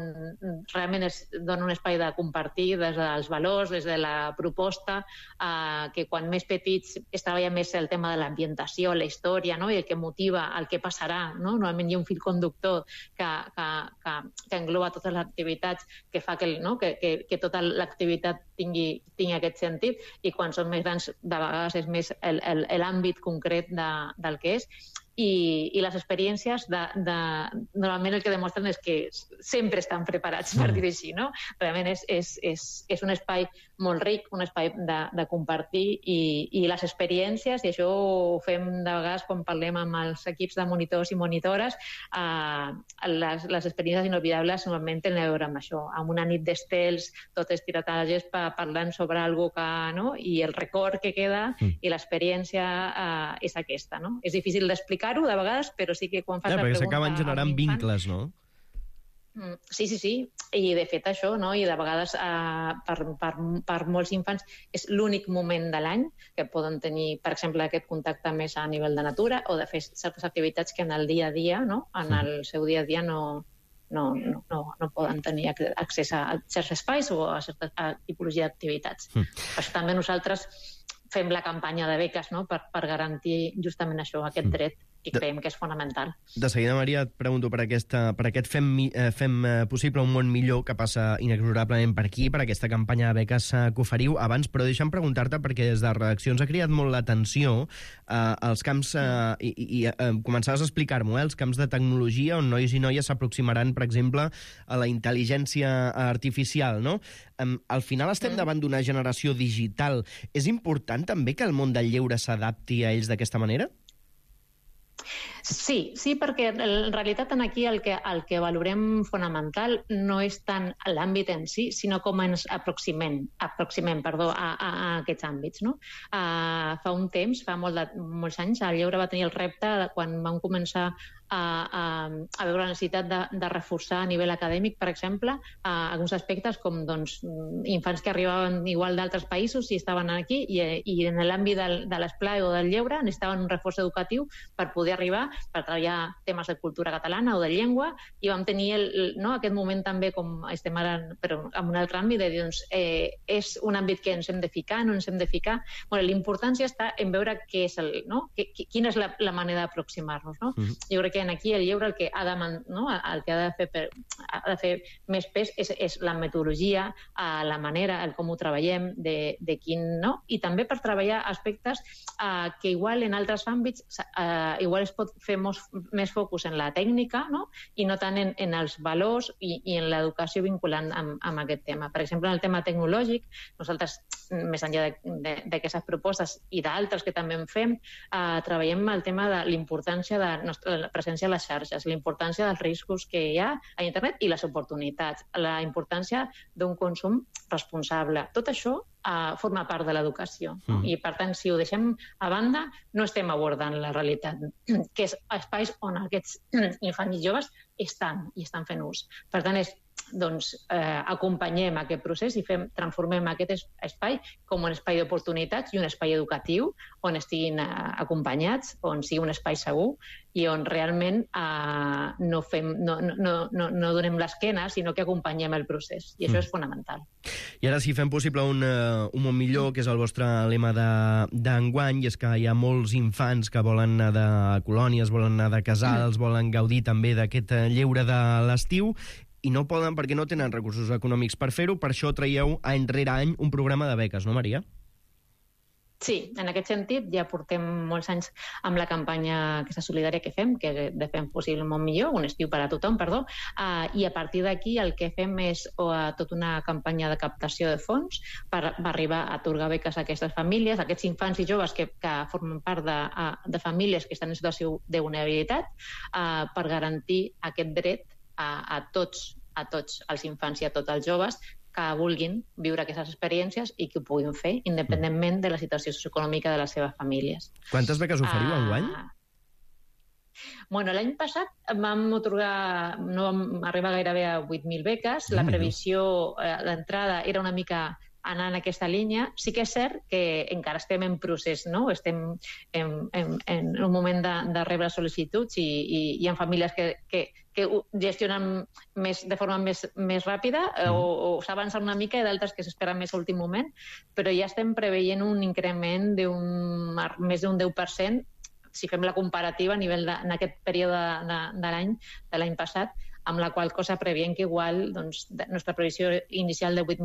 realment es dona un espai de compartir des dels valors, des de la proposta, eh, que quan més petits es treballa més el tema de l'ambientació, la història, no? I el que motiva, el que passarà, no? Normalment hi ha un fil conductor que, que, que, que engloba totes les activitats, que fa que, no? que, que, que tota l'activitat tingui, tingui aquest sentit, i quan són més grans de vegades és més l'àmbit concret de, del que és. I, i les experiències de, de, normalment el que demostren és que sempre estan preparats, per dir-ho així, no? Realment és, és, és, és un espai molt ric, un espai de, de compartir i, i les experiències, i això ho fem de vegades quan parlem amb els equips de monitors i monitores, eh, les, les experiències inolvidables normalment tenen a veure amb això, amb una nit d'estels, tot estirat a la gespa, parlant sobre alguna cosa que, no? I el record que queda mm. i l'experiència eh, és aquesta, no? És difícil d'explicar de vegades, però sí que quan fas ja, la pregunta... Perquè s'acaben generant vincles, no? Sí, sí, sí. I de fet això, no? I de vegades eh, per, per, per molts infants és l'únic moment de l'any que poden tenir, per exemple, aquest contacte més a nivell de natura o de fer certes activitats que en el dia a dia, no? En el seu dia a dia no, no, no, no, no poden tenir accés a certs espais o a certa a tipologia d'activitats. Mm. Per això també nosaltres fem la campanya de beques, no? per, per garantir justament això, aquest dret, i creiem que és fonamental. De seguida, Maria, et pregunto per, aquesta, per aquest fem, eh, fem possible un món millor que passa inexorablement per aquí, per aquesta campanya de beques eh, que oferiu abans, però deixa'm preguntar-te, perquè des de redaccions ha cridat molt l'atenció eh, els camps, eh, i, i eh, començaves a explicar-m'ho, eh, els camps de tecnologia on nois i noies s'aproximaran, per exemple, a la intel·ligència artificial, no? Um, al final estem mm. davant d'una generació digital. És important també que el món del lleure s'adapti a ells d'aquesta manera? Sí, sí, perquè en realitat aquí el que, el que valorem fonamental no és tant l'àmbit en si, sinó com ens aproximem, aproximem perdó, a, a, a aquests àmbits. No? Uh, fa un temps, fa molt de, molts anys, el lleure va tenir el repte de quan vam començar a, a, a veure la necessitat de, de reforçar a nivell acadèmic, per exemple, a alguns aspectes com doncs, infants que arribaven igual d'altres països i estaven aquí i, i en l'àmbit del, de l'esplai o del lleure necessitaven un reforç educatiu per poder arribar, per treballar temes de cultura catalana o de llengua, i vam tenir el, no, aquest moment també, com estem ara, però en un altre àmbit, de dir, doncs, eh, és un àmbit que ens hem de ficar, no ens hem de ficar. Bueno, l'importància està en veure què és el, no? que, quina és la, la manera d'aproximar-nos. No? Mm-hmm. Jo crec que en aquí el lleure el que ha de, no? el que ha de fer, per, ha de fer més pes és, és la metodologia, la manera, el com ho treballem, de, de quin, no? I també per treballar aspectes eh, que igual en altres àmbits eh, igual es pot fer mos, més focus en la tècnica, no? I no tant en, en els valors i, i en l'educació vinculant amb, amb aquest tema. Per exemple, en el tema tecnològic, nosaltres, més enllà d'aquestes propostes i d'altres que també en fem, eh, treballem el tema de l'importància de la presència a les xarxes, la importància dels riscos que hi ha a internet i les oportunitats, la importància d'un consum responsable. Tot això uh, forma part de l'educació. No? Mm. I, per tant, si ho deixem a banda, no estem abordant la realitat, que és espais on aquests infants i joves estan i estan fent ús. Per tant, és doncs, eh, acompanyem aquest procés i fem, transformem aquest es- espai com un espai d'oportunitats i un espai educatiu on estiguin eh, acompanyats, on sigui un espai segur i on realment eh, no, fem, no, no, no, no donem l'esquena, sinó que acompanyem el procés. I això mm. és fonamental. I ara sí, fem possible un, uh, un món millor, que és el vostre lema d'enguany, i és que hi ha molts infants que volen anar de colònies, volen anar de casals, mm. volen gaudir també d'aquest lleure de l'estiu, i no poden perquè no tenen recursos econòmics per fer-ho. Per això traieu any rere any un programa de beques, no, Maria? Sí, en aquest sentit ja portem molts anys amb la campanya aquesta solidària que fem, que de Fem Possible un món millor, un estiu per a tothom, perdó, uh, i a partir d'aquí el que fem és uh, tota una campanya de captació de fons per, per arribar a atorgar beques a aquestes famílies, a aquests infants i joves que, que formen part de, uh, de famílies que estan en situació de vulnerabilitat, uh, per garantir aquest dret a, a tots, a tots els infants i a tots els joves que vulguin viure aquestes experiències i que ho puguin fer, independentment de la situació socioeconòmica de les seves famílies. Quantes beques oferiu uh, enguany? Bueno, l'any passat vam atorgar, no vam arribar gairebé a vuit mil beques. La previsió, eh, l'entrada era una mica anar en aquesta línia. Sí que és cert que encara estem en procés, no? Estem en, en, en un moment de, de rebre sol·licituds i, i hi ha famílies que, que, que ho gestionen més, de forma més, més ràpida mm. o, o s'avancen una mica i d'altres que s'esperen més a l'últim moment, però ja estem preveient un increment d'un més d'un deu per cent si fem la comparativa a nivell de, en aquest període de, de, de l'any de l'any passat, amb la qual cosa previem que igual, doncs, la nostra previsió inicial de vuit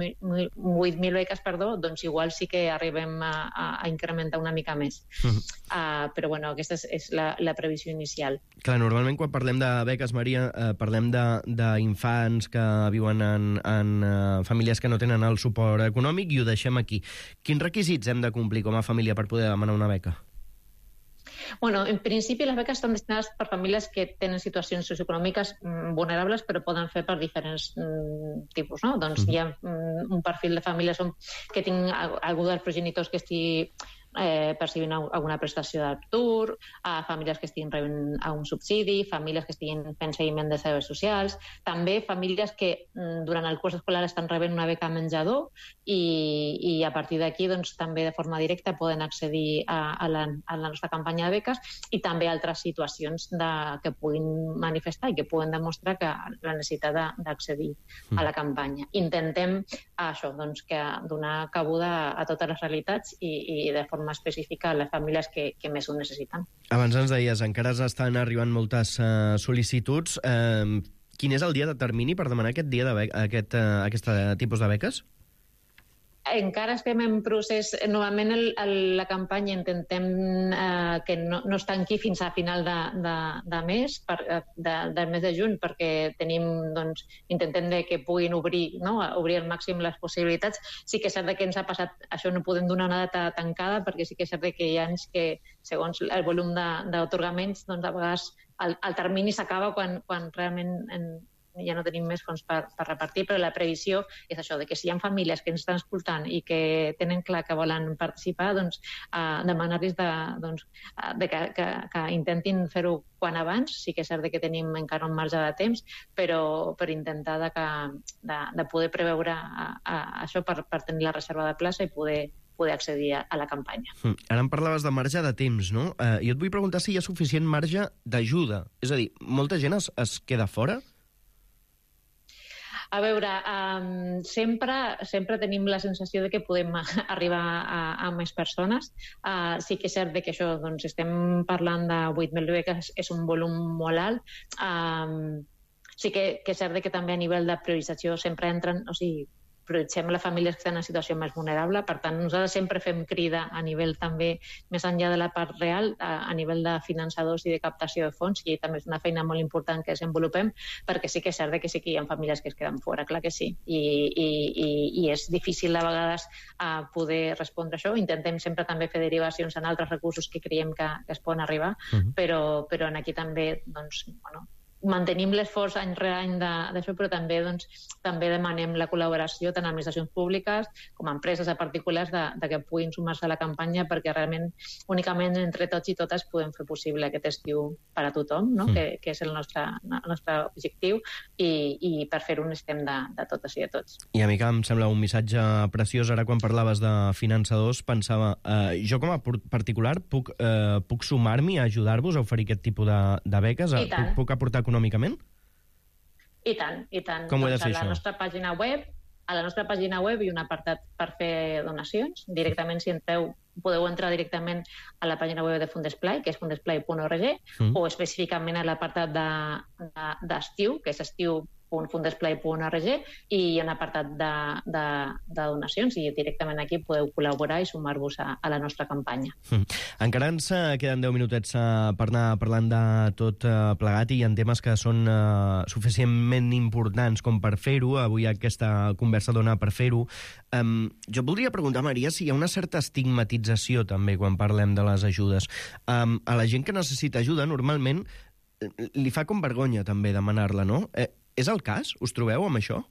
mil beques, perdó, doncs igual sí que arribem a, a, a incrementar una mica més. Uh-huh. Uh, però, bueno, aquesta és, és la, la previsió inicial. Clar, normalment quan parlem de beques, Maria, eh, parlem d'infants que viuen en, en uh, famílies que no tenen el suport econòmic i ho deixem aquí. Quins requisits hem de complir com a família per poder demanar una beca? Bueno, en principi les beques estan destinades per famílies que tenen situacions socioeconòmiques mm, vulnerables, però poden fer per diferents mm, tipus, no? Doncs mm. hi ha mm, un perfil de famílies on, que tinc algú dels progenitors que estigui eh, percibint alguna prestació d'atur, a famílies que estiguin rebent un subsidi, famílies que estiguin fent seguiment de serveis socials, també famílies que mm, durant el curs escolar estan rebent una beca menjador i, i a partir d'aquí doncs, també de forma directa poden accedir a, a, la, a la nostra campanya de beques i també altres situacions de, que puguin manifestar i que puguen demostrar que la necessitat d'accedir mm. a la campanya. Intentem això, doncs, que donar cabuda a totes les realitats i, i de forma específica a les famílies que, que més ho necessiten. Abans ens deies, encara estan arribant moltes uh, sol·licituds. Uh, quin és el dia de termini per demanar aquest dia de aquest, uh, aquest tipus de beques? Encara estem en procés. Normalment el, el, la campanya intentem eh, que no, no es tanqui fins a final de, de, de mes, per, de, del mes de juny, perquè tenim, doncs, intentem de que puguin obrir, no? obrir al màxim les possibilitats. Sí que és cert que ens ha passat, això no podem donar una data tancada, perquè sí que és cert que hi ha anys que, segons el volum d'atorgaments, doncs a vegades el, el termini s'acaba quan, quan realment en, ja no tenim més fons per, per repartir, però la previsió és això, de que si hi ha famílies que ens estan escoltant i que tenen clar que volen participar, doncs eh, demanar-los de, doncs, de que, que, que intentin fer-ho quan abans. Sí que és cert que tenim encara un marge de temps, però per intentar de, que, de, de poder preveure a, a, això per, per tenir la reserva de plaça i poder poder accedir a, a la campanya. Mm. Ara em parlaves de marge de temps, no? Eh, jo et vull preguntar si hi ha suficient marge d'ajuda. És a dir, molta gent es, es queda fora? A veure, um, sempre, sempre tenim la sensació de que podem arribar a, a més persones. Uh, sí que és cert que això, doncs, estem parlant de vuit mil beques, és un volum molt alt. Um, sí que, que és cert que també a nivell de priorització sempre entren, o sigui, prioritzem les famílies que estan en situació més vulnerable. Per tant, nosaltres sempre fem crida a nivell també, més enllà de la part real, a, a nivell de finançadors i de captació de fons, i també és una feina molt important que desenvolupem, perquè sí que és cert que sí que hi ha famílies que es queden fora, clar que sí. I, i, i, i és difícil a vegades a poder respondre a això. Intentem sempre també fer derivacions en altres recursos que creiem que, que es poden arribar, uh-huh. però, però en aquí també, doncs, bueno, mantenim l'esforç any rere any d'això, però també, doncs, també demanem la col·laboració tant a administracions públiques com a empreses a particulars de, de que puguin sumar-se a la campanya, perquè realment únicament entre tots i totes podem fer possible aquest estiu per a tothom, no? mm. que, que és el nostre, el nostre objectiu, i, i per fer-ho necessitem de, de totes i de tots. I a mi que em sembla un missatge preciós. Ara quan parlaves de finançadors pensava, eh, jo com a particular puc, eh, puc sumar-m'hi a ajudar-vos a oferir aquest tipus de, de beques? I tant. Puc, puc aportar econòmicament? I tant, i tant. Com ho he de fer, doncs a la això? nostra pàgina web, a la nostra pàgina web hi ha un apartat per fer donacions. Directament, si entreu, podeu entrar directament a la pàgina web de Fundesplai, que és fundesplai punt org, mm. o específicament a l'apartat d'estiu, de, de, que és estiu punt fundesplai punt org, i hi ha un apartat de, de, de donacions, i directament aquí podeu col·laborar i sumar-vos a, a la nostra campanya. Mm. Encara ens queden deu minutets per anar parlant de tot plegat, i hi ha temes que són uh, suficientment importants com per fer-ho. Avui aquesta conversa dona per fer-ho. Um, jo voldria preguntar, Maria, si hi ha una certa estigmatització també quan parlem de les ajudes. Um, a la gent que necessita ajuda, normalment li fa com vergonya també demanar-la, no? Eh, és el cas? Us trobeu amb això?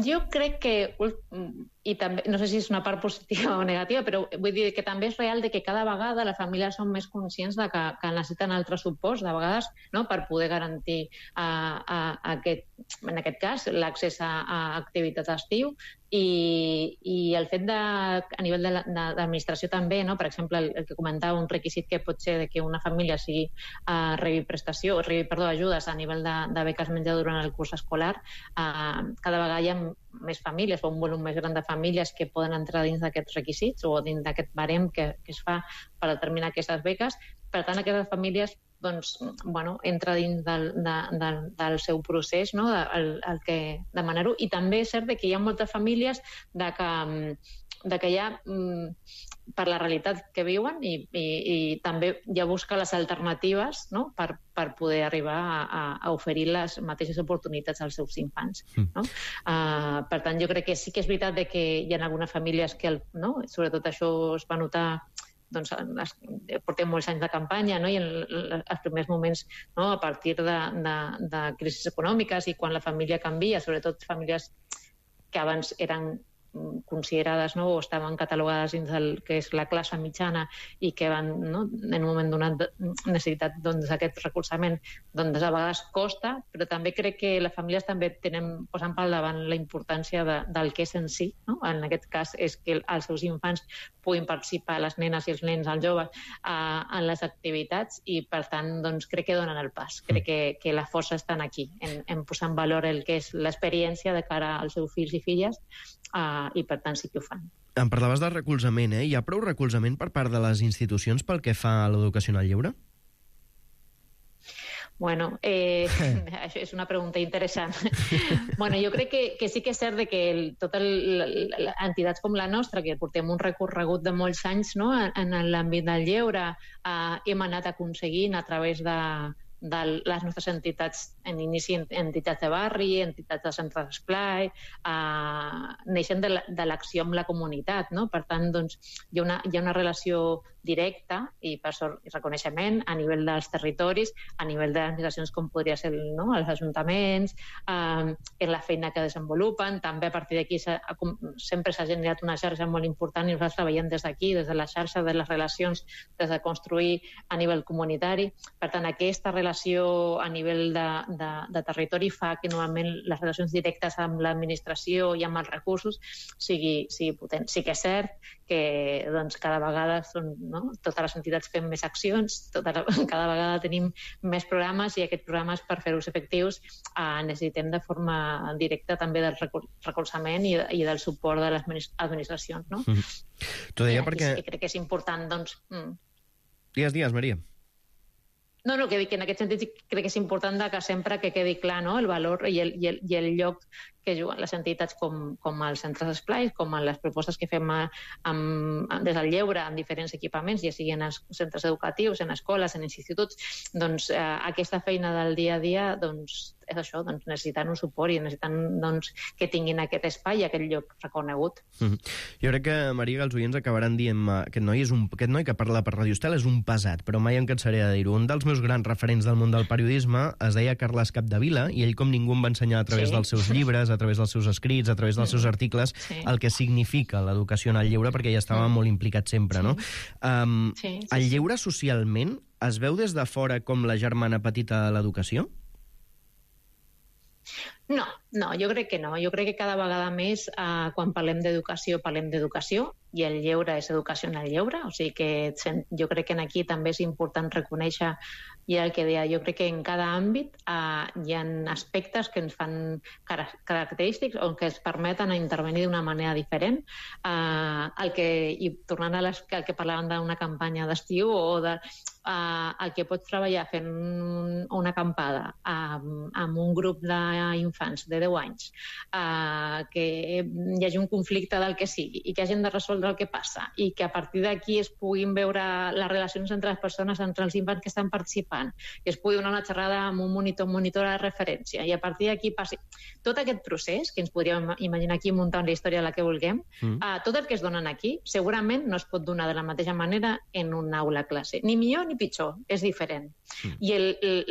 Jo crec que, i també, no sé si és una part positiva o negativa, però vull dir que també és real de que cada vegada les famílies són més conscients de que, que necessiten altres suports, de vegades, no?, per poder garantir a, a, a aquest, en aquest cas l'accés a, a activitats d'estiu, i, i el fet de, a nivell de l'administració també, no?, per exemple, el, el que comentava, un requisit que pot ser de que una família sigui, uh, rebi prestació, rebi, perdó, ajudes a nivell de, de beques menjador durant el curs escolar, uh, cada vegada hi ha més famílies o un volum més gran de famílies que poden entrar dins d'aquests requisits o dins d'aquest barem que, que es fa per determinar aquestes beques. Per tant, aquestes famílies, doncs, bueno, entra dins del, de, del, del seu procés, no?, el, el que demanar-ho. I també és cert que hi ha moltes famílies de que, de que ja, per la realitat que viuen, i, i, i també ja busca les alternatives, no?, per, per poder arribar a, a oferir les mateixes oportunitats als seus infants. No? Uh, per tant, jo crec que sí que és veritat de que hi ha algunes famílies que, el, no?, sobretot això es va notar, doncs, les, portem molts anys de campanya, no?, i en els primers moments, no?, a partir de, de, de crisis econòmiques, i quan la família canvia, sobretot famílies que abans eren considerades, no?, o estaven catalogades dins del que és la classe mitjana i que van, no?, en un moment donat necessitat, doncs, aquest recolzament, doncs a vegades costa, però també crec que les famílies també tenen, posen pel davant la importància de, del que és en si, no? En aquest cas és que els seus infants puguin participar, les nenes i els nens, els joves, eh, en les activitats, i per tant, doncs, crec que donen el pas. Crec que, que la força està aquí, en, en posar en valor el que és l'experiència de cara als seus fills i filles, Uh, i per tant sí que ho fan. Em parlaves de recolzament, eh? Hi ha prou recolzament per part de les institucions pel que fa a l'educació en el lleure? Bueno, eh, això és una pregunta interessant. Bueno, jo crec que, que sí que és cert que el, totes les entitats com la nostra, que portem un recorregut de molts anys, no?, en, en l'àmbit del lleure, eh, hem anat aconseguint a través de de les nostres entitats, en inici entitats de barri, entitats de centres d'esplai, eh, neixen de l'acció amb la comunitat, no? Per tant, doncs, hi ha una, hi ha una relació directa i per sort i reconeixement a nivell dels territoris, a nivell de les administracions com podria ser, no?, els ajuntaments, eh, en la feina que desenvolupen. També a partir d'aquí sempre s'ha generat una xarxa molt important i nosaltres treballem des d'aquí, des de la xarxa, de les relacions, des de construir a nivell comunitari. Per tant, aquesta relació a nivell de, de, de territori fa que normalment les relacions directes amb l'administració i amb els recursos sigui, sigui potent. Sí que és cert que, doncs, cada vegada són, no?, totes les entitats fem més accions, tota, cada vegada tenim més programes, i aquests programes, per fer-los efectius, eh, necessitem de forma directa també del recolzament i, i del suport de les administracions, no? Mm. T'ho deia perquè... Sí, crec que és important, doncs... Mm. Digues, digues, Maria. No, no, que dic que en aquest sentit crec que és important que sempre que quedi clar, no?, el valor i el, i el, i el lloc que juguen les entitats com, com els centres d'esplai, com en les propostes que fem a, amb, des del lleure en diferents equipaments, ja sigui en els centres educatius, en escoles, en instituts. Doncs eh, aquesta feina del dia a dia, doncs, és això, doncs necessiten un suport i necessiten doncs, que tinguin aquest espai i aquest lloc reconegut. Mm-hmm. Jo crec que, Maria, que els oients acabaran dient aquest noi, és un, aquest noi que parla per Radio Estel és un pesat, però mai em cansaré de dir-ho. Un dels meus grans referents del món del periodisme es deia Carles Capdevila, i ell, com ningú, em va ensenyar a través sí. dels seus llibres, a través dels seus escrits, a través dels seus articles, sí. el que significa l'educació en el lleure, perquè ja estava mm. molt implicat sempre, sí. no? Um, sí, sí, el lleure socialment es veu des de fora com la germana petita de l'educació? No, no, jo crec que no. Jo crec que cada vegada més, eh, quan parlem d'educació, parlem d'educació, i el lleure és educació en el lleure, o sigui que jo crec que aquí també és important reconèixer, i el que deia, jo crec que en cada àmbit eh, hi ha aspectes que ens fan car característics o que ens permeten intervenir d'una manera diferent. Eh, el que, i tornant a les, el que parlàvem d'una campanya d'estiu o de, eh, el que pots treballar fent una acampada amb, amb un grup d'infants de deu anys, eh, que hi hagi un conflicte del que sigui i que hagin de resoldre el que passa i que a partir d'aquí es puguin veure les relacions entre les persones, entre els infants que estan participant, i es pugui donar una xerrada amb un monitor, monitora de referència, i a partir d'aquí passi tot aquest procés, que ens podríem imaginar aquí muntant la història de la que vulguem, mm. uh, tot el que es donen aquí segurament no es pot donar de la mateixa manera en una aula classe, ni millor ni pitjor, és diferent. Mm. I el,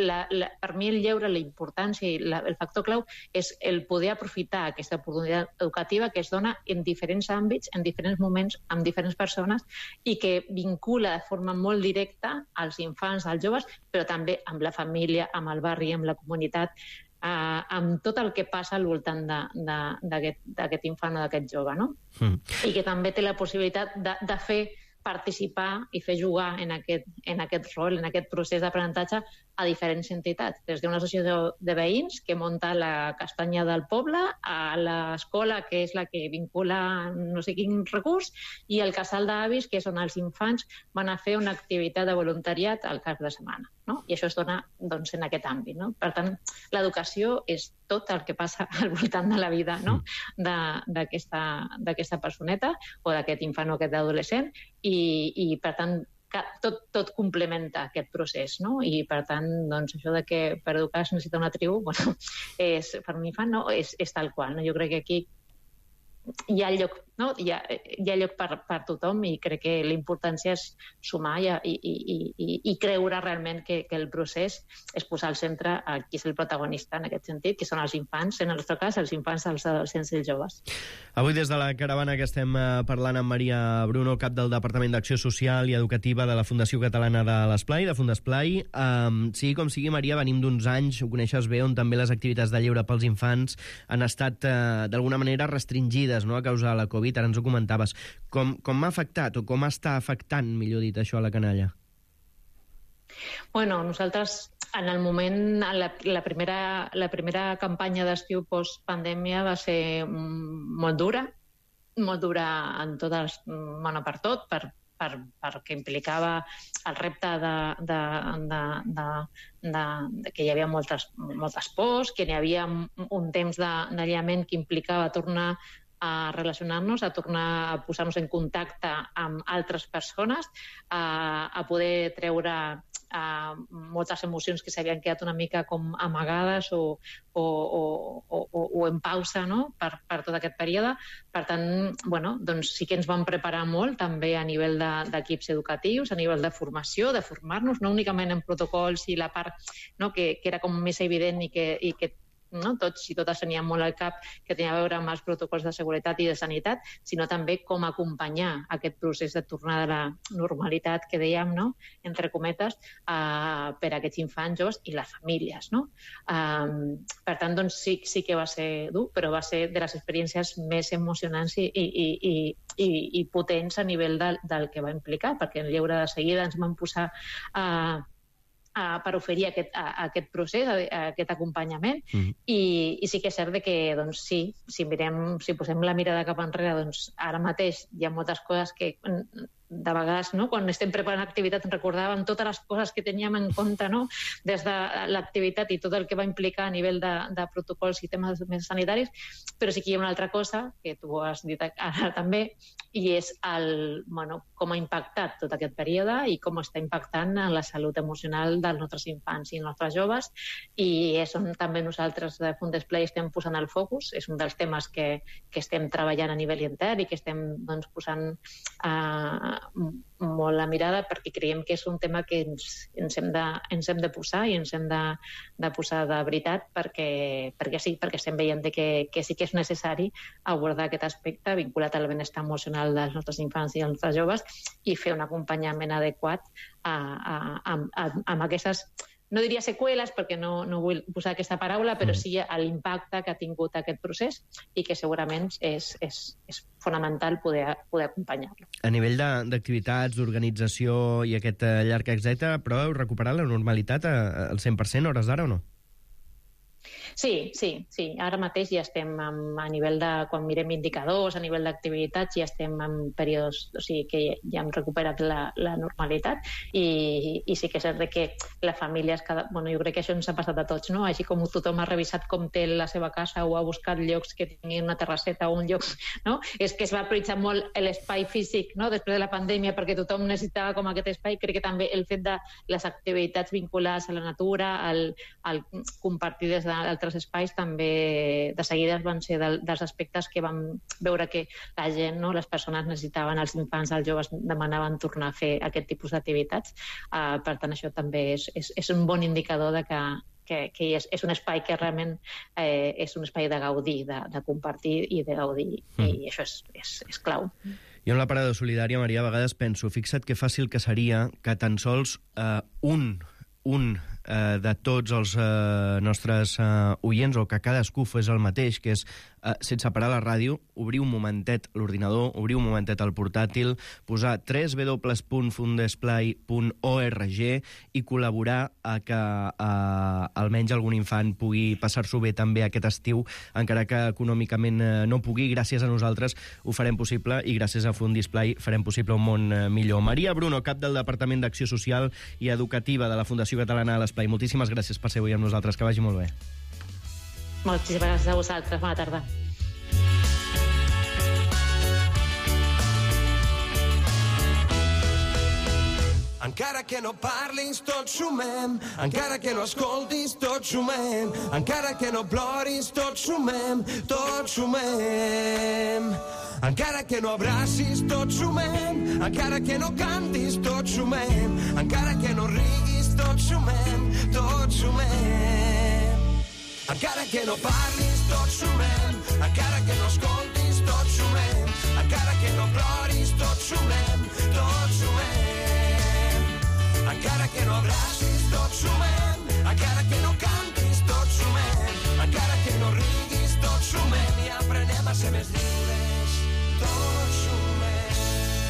la, la, per mi el lleure, la importància i la, el factor clau és el poder aprofitar aquesta oportunitat educativa que es dona en diferents àmbits, en diferents moments, amb diferents persones, i que vincula de forma molt directa als infants, als joves, però també amb la família, amb el barri, amb la comunitat, eh, amb tot el que passa al voltant d'aquest infant o d'aquest jove, no? Mm. I que també té la possibilitat de, de fer participar i fer jugar en aquest, en aquest rol, en aquest procés d'aprenentatge a diferents entitats, des d'una associació de veïns que munta la castanya del poble, a l'escola, que és la que vincula no sé quin recurs, i el casal d'avis, que és on els infants van a fer una activitat de voluntariat al cap de setmana, no? I això es dona doncs, en aquest àmbit, no? Per tant, l'educació és tot el que passa al voltant de la vida, no? d'aquesta personeta o d'aquest infant o aquest adolescent, i, i per tant tot, tot complementa aquest procés, no? I per tant, doncs, això de que per educar es necessita una tribu, bueno, és, per un infant no, és, és tal qual, no? Jo crec que aquí hi ha lloc, no? hi, ha, hi ha lloc per, per tothom, i crec que la importància és sumar i, i, i, i, i creure realment que, que el procés és posar al centre a qui és el protagonista en aquest sentit, que són els infants, en el nostre cas, els infants, els adolescents i els joves. Avui des de la caravana que estem parlant amb Maria Bruno, cap del Departament d'Acció Social i Educativa de la Fundació Catalana de l'Esplai, de Fundesplai. Um, sigui com sigui, Maria, venim d'uns anys, ho coneixes bé, on també les activitats de lleure pels infants han estat uh, d'alguna manera restringides, no?, a causa de la Covid, ara ens ho comentaves. Com, com ha afectat o com està afectant, millor dit, això a la canalla? Bueno, nosaltres en el moment, la, la, primera, la primera campanya d'estiu post-pandèmia va ser molt dura, molt dura en totes, bueno, per tot, per, per, perquè implicava el repte de, de, de, de, de, de que hi havia moltes, moltes pors, que hi havia un temps d'aïllament que implicava tornar a relacionar-nos, a tornar a posar-nos en contacte amb altres persones, a, a poder treure a, moltes emocions que s'havien quedat una mica com amagades o, o, o, o, o en pausa, no?, per, per tot aquest període. Per tant, bueno, doncs sí que ens vam preparar molt també a nivell d'equips educatius, a nivell de formació, de formar-nos, no únicament en protocols i la part, no?, que, que era com més evident i que, i que no? tots i totes teníem molt al cap que tenia a veure amb els protocols de seguretat i de sanitat, sinó també com acompanyar aquest procés de tornada a la normalitat que dèiem, no?, entre cometes, uh, per a aquests infants, joves i les famílies, no? Um, per tant, doncs sí, sí que va ser dur, però va ser de les experiències més emocionants i, i, i, i, i potents a nivell del, del que va implicar, perquè en lleure de seguida ens vam posar a uh, per oferir aquest, a, aquest procés, a, a aquest acompanyament, mm-hmm. I, i sí que és cert que, doncs, sí, si mirem, si posem la mirada cap enrere, doncs ara mateix hi ha moltes coses que de vegades, no? Quan estem preparant activitat, recordàvem totes les coses que teníem en compte, no? Des de l'activitat i tot el que va implicar a nivell de, de protocols i temes més sanitaris, però sí que hi ha una altra cosa, que tu has dit ara també, i és el, bueno, com ha impactat tot aquest període i com està impactant en la salut emocional dels nostres infants i nostres joves, i és on també nosaltres de Fundesplay estem posant el focus, és un dels temes que, que estem treballant a nivell intern i que estem doncs, posant eh, molt la mirada, perquè creiem que és un tema que ens, ens, hem, de, ens hem de posar i ens hem de, de posar de veritat, perquè, perquè sí, perquè estem veient que, que sí que és necessari abordar aquest aspecte vinculat al benestar emocional dels nostres infants i dels nostres joves i fer un acompanyament adequat a, a, a, a, amb aquestes, no diria seqüeles, perquè no, no vull posar aquesta paraula, però sí a l'impacte que ha tingut aquest procés i que segurament és, és, és fonamental poder, poder acompanyar-lo. A nivell d'activitats, d'organització i aquest llarg èxit, proveu recuperar la normalitat al cent per cent hores d'ara o no? Sí, sí, sí. Ara mateix ja estem amb, a nivell de, quan mirem indicadors, a nivell d'activitats, ja estem en períodes, o sigui que ja hem recuperat la, la normalitat i, i sí que és cert que la família, és cada, bueno, jo crec que això ens ha passat a tots, no? Així com tothom ha revisat com té la seva casa o ha buscat llocs que tinguin una terrasseta o un lloc, no? És que es va prioritzar molt l'espai físic, no? Després de la pandèmia, perquè tothom necessitava com aquest espai. Crec que també el fet de les activitats vinculades a la natura, al, al compartir des d'altres espais, també de seguida van ser del, dels aspectes que vam veure que la gent, no, les persones necessitaven, els infants, els joves demanaven tornar a fer aquest tipus d'activitats. Uh, per tant, això també és, és, és un bon indicador de que, que, que és, és un espai que realment eh, és un espai de gaudir, de, de compartir i de gaudir, mm. i això és, és, és clau. Jo en la parada solidària, Maria, a vegades penso, fixa't que fàcil que seria que tan sols uh, un un eh, de tots els eh, nostres eh, oients, o que cadascú fes el mateix, que és, eh, sense parar la ràdio, obrir un momentet l'ordinador, obrir un momentet el portàtil, posar w w w punt fundesplay punt org i col·laborar a que eh, almenys algun infant pugui passar-s'ho bé també aquest estiu, encara que econòmicament eh, no pugui. Gràcies a nosaltres ho farem possible i gràcies a Fundisplay farem possible un món eh, millor. Maria Bruno, cap del Departament d'Acció Social i Educativa de la Fundació Catalana de l'Esplai, moltíssimes gràcies per ser avui amb nosaltres, que vagi molt bé. Moltíssimes gràcies a vosaltres, bona tarda. Encara que no parlis, tots sumem. Encara que no escoltis, tots sumem. Encara que no ploris, tots sumem. Tots sumem. Encara que no abracis, tots sumem. Encara que no cantis, tots sumem. Encara que no riguis, tots sumem. Tots sumem. Encara que no parlis, tots sumem. Encara que no escoltis, tots sumem. Encara que no ploris, tots sumem. Tots sumem. Encara que no abracis, tots sumem. Encara que no cantis, tots sumem. Encara que no riguis, tots sumem. I aprenem a ser més lliures.